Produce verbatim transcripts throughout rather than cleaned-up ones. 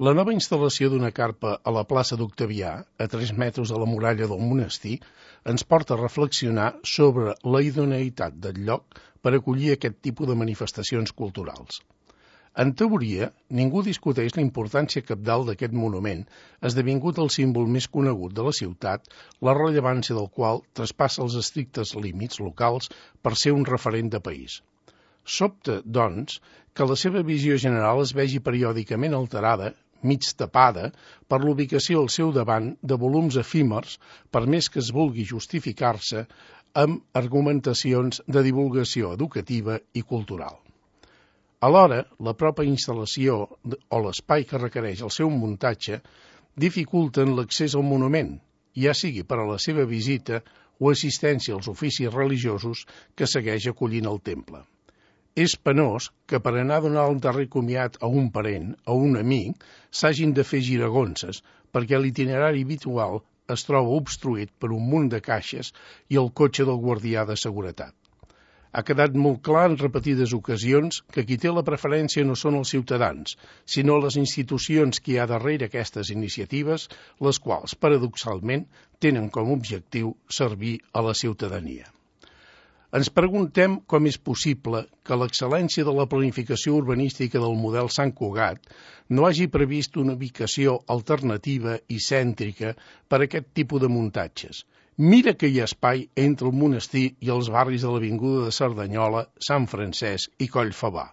La nova instal·lació d'una carpa a la plaça d'Octavià, a tres metres de la muralla del monestir, ens porta a reflexionar sobre la idoneïtat del lloc per acollir aquest tipus de manifestacions culturals. En teoria, ningú discuteix la importància cabdal d'aquest monument, esdevingut el símbol més conegut de la ciutat, la rellevància del qual traspassa els estrictes límits locals per ser un referent de país. Sobta, doncs, que la seva visió general es vegi periòdicament alterada, mig tapada, per l'ubicació al seu davant de volums efímers, per més que es vulgui justificar-se amb argumentacions de divulgació educativa i cultural. Alhora, la pròpia instal·lació o l'espai que requereix el seu muntatge dificulten l'accés al monument, ja sigui per a la seva visita o assistència als oficis religiosos que segueix acollint el temple. És penós que per anar a donar el darrer comiat a un parent, a un amic, s'hagin de fer giragonses perquè l'itinerari habitual es troba obstruït per un munt de caixes i el cotxe del guardià de seguretat. Ha quedat molt clar en repetides ocasions que qui té la preferència no són els ciutadans, sinó les institucions que hi ha darrere aquestes iniciatives, les quals, paradoxalment, tenen com a objectiu servir a la ciutadania. Ens preguntem com és possible que l'excel·lència de la planificació urbanística del model Sant Cugat no hagi previst una ubicació alternativa i cèntrica per a aquest tipus de muntatges. Mira que hi ha espai entre el monestir i els barris de l'avinguda de Cerdanyola, Sant Francesc i Collfabà.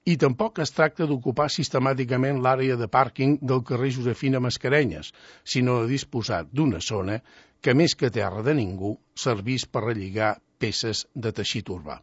I tampoc es tracta d'ocupar sistemàticament l'àrea de pàrquing del carrer Josefina Mascarenyes, sinó de disposar d'una zona que, més que terra de ningú, servís per relligar peces de teixit urbà.